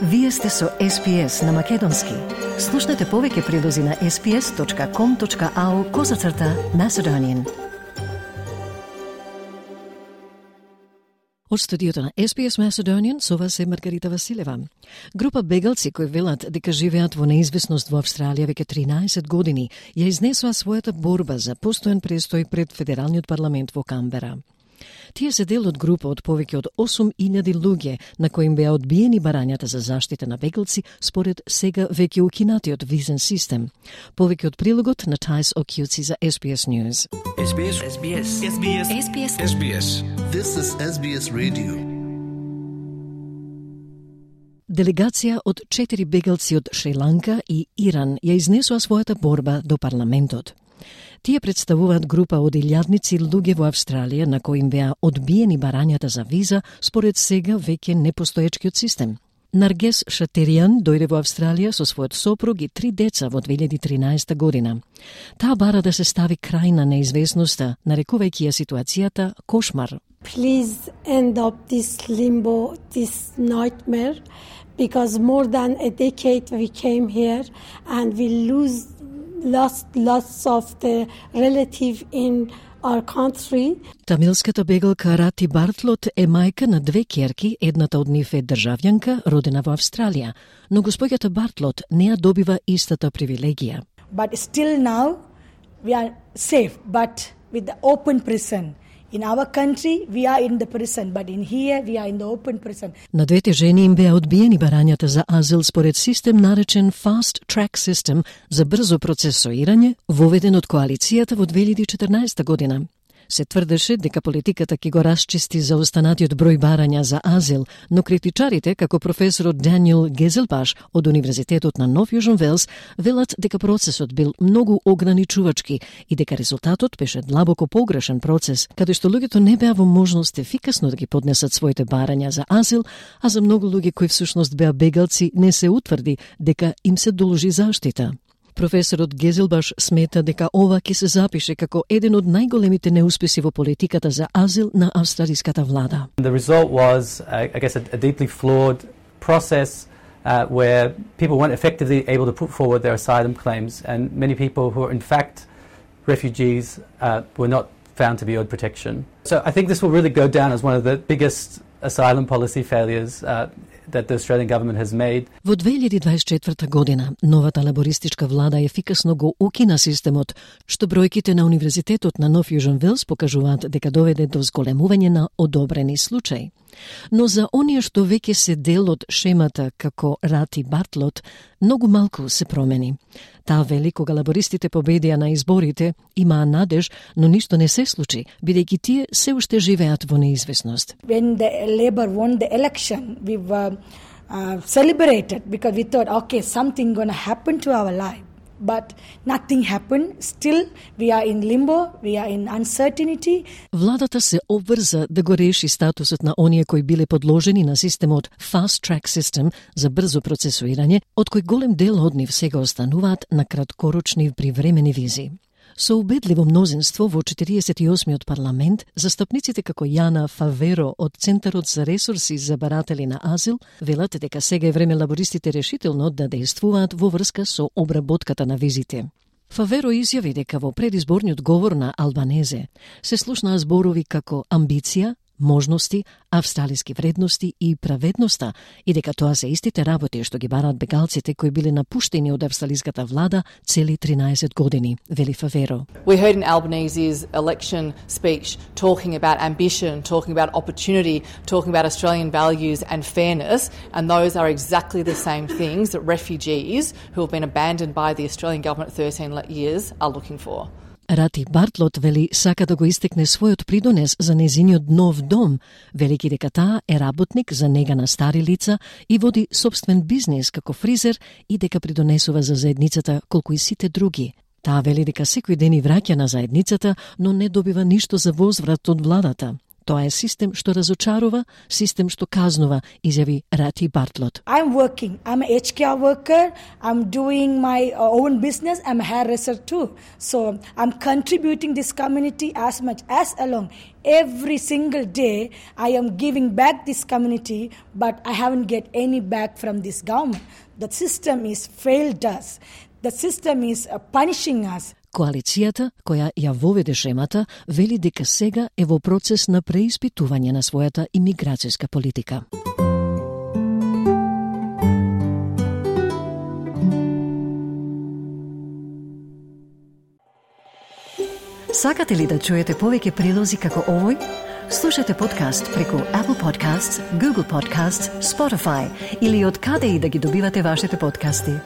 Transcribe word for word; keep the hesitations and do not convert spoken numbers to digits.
Вие сте со Ес Би Ес на Македонски. Слушнете повеќе прилози на ес би ес точка ком точка ау козацрта Macedonian. Од студиото на Ес Би Ес Macedonian со вас е Маргарита Василева. Група бегалци кои велат дека живеат во неизвестност во Австралија веќе тринаесет години ја изнесоа својата борба за постојан престој пред Федералниот парламент во Камбера. Тие се дел од група од повеќе од осум илјади луѓе на кои им беа одбиени барањата за заштита на бегалци според сега веќе укинатиот визен систем. Повеќе од прилогот на Тајс Окјуци за Ес Би Ес News. Ес Би Ес. Ес Би Ес. Ес Би Ес. Ес Би Ес. Ес Би Ес. This is Ес Би Ес Radio. Делегација од четири бегалци од Шри-Ланка и Иран ја изнесоа својата борба до парламентот. Тие представуваат група од илјадници луѓе во Австралија на кои им беа одбиени барањата за виза според сега веќе непостоечкиот систем. Наргес Шатеријан дојде во Австралија со својот сопруг и три деца во две илјади и тринаесета година. Таа бара да се стави крај на неизвестноста, нарекувајќи ја ситуацијата кошмар. Please end up this limbo, this nightmare, because more than a decade we came here and we lose lost lots of the relative in our country. Тамилската бегалка Рати Бартлот е мајка на две ќерки, едната од нив е државјанка, родена во Австралија, но госпоѓата Бартлот не ја добива истата привилегија. But still now we are safe, but with the open prison. In our country, we are in the prison, but in here, we are in the open prison. На двете жени им беа одбиени барањата за азил според систем наречен Fast Track System за брзо процесуирање, воведен од коалицијата во две илјади и четрнаесета година. Се тврдеше дека политиката ќе го расчисти за останатиот број барања за азил, но критичарите, како професорот Даниел Гезелбаш од Универзитетот на Нов Јужен Велс, велат дека процесот бил многу ограничувачки и дека резултатот беше длабоко погрешен процес, каде што луѓето не беа во можност ефикасно да ги поднесат своите барања за азил, а за многу луѓе кои всушност беа бегалци не се утврди дека им се должи заштита. Професорот Гезелбаш смета дека ова ќе се запише како еден од најголемите неуспеси во политиката за азил на австралиската влада. The result was, uh, I guess, a, a deeply flawed process uh, where people weren't effectively able to put forward their asylum claims, and many people who are in fact refugees uh, were not found to be owed protection. So I think this will really go down as one of the biggest asylum policy failures uh, that the Australian government has made. Во две илјади и дваесет и четврта година, новата лабористичка влада ефикасно го укина системот, што бројките на Универзитетот на Нов Јужен Велс покажуваат дека доведе до зголемување на одобрени случаи. Но за оние што веќе се дел од шемата како Рати Бартлот, многу малку се промени. Таа вели кога лабористите победија на изборите, имаа надеж, но ништо не се случи, бидејќи тие се уште живеат во неизвестност. When the Labor won the election, we were uh, celebrated because we thought, okay, something going to happen to our life. But nothing happened. Still, we are in limbo, we are in uncertainty. Владата се обврза да го реши статусот на оние кои биле подложени на системот Fast Track System за брзо процесуирање, од кој голем дел од нив сега остануваат на краткорочни привремени визи. Со убедливо мнозинство во четириесет и осмиот парламент, застапниците како Јана Фаверо од Центарот за ресурси за баратели на азил велат дека сега е време лабористите решително да действуваат во врска со обработката на визите. Фаверо изјави дека во предизборниот говор на Албанезе се слушнаа зборови како амбиција, можности, австралиски вредности и праведноста и дека тоа се истите работи што ги бараат бегалците кои биле напуштени од австралиската влада цели тринаесет години, вели Фаверо. We heard in Albanese's election speech talking about ambition, talking about opportunity, talking about Australian values and fairness, and those are exactly the same things that refugees who have been abandoned by the Australian government thirteen years are looking for. Рати Бартлот вели сака да го истекне својот придонес за незиниот нов дом, велики дека таа е работник за нега на стари лица и води собствен бизнес како фризер и дека придонесува за заедницата колку и сите други. Таа вели дека секој ден и враќа на заедницата, но не добива ништо за возврат од владата. Тоа е систем што разочарува, систем што казнува, изјави Рати Бартлот. I'm working. I'm an H R worker. I'm doing my own business. I'm a hairdresser too. So I'm contributing this community as much as along. Every single day, I am giving back this community, but I haven't get any back from this government. The system is failed us. The system is uh, punishing us. Коалицијата, која ја воведе шемата, вели дека сега е во процес на преиспитување на својата имиграцијска политика. Сакате ли да чуете повеќе прилози како овој? Слушате подкаст преку Apple Podcasts, Google Podcasts, Spotify или од каде и да ги добивате вашите подкасти.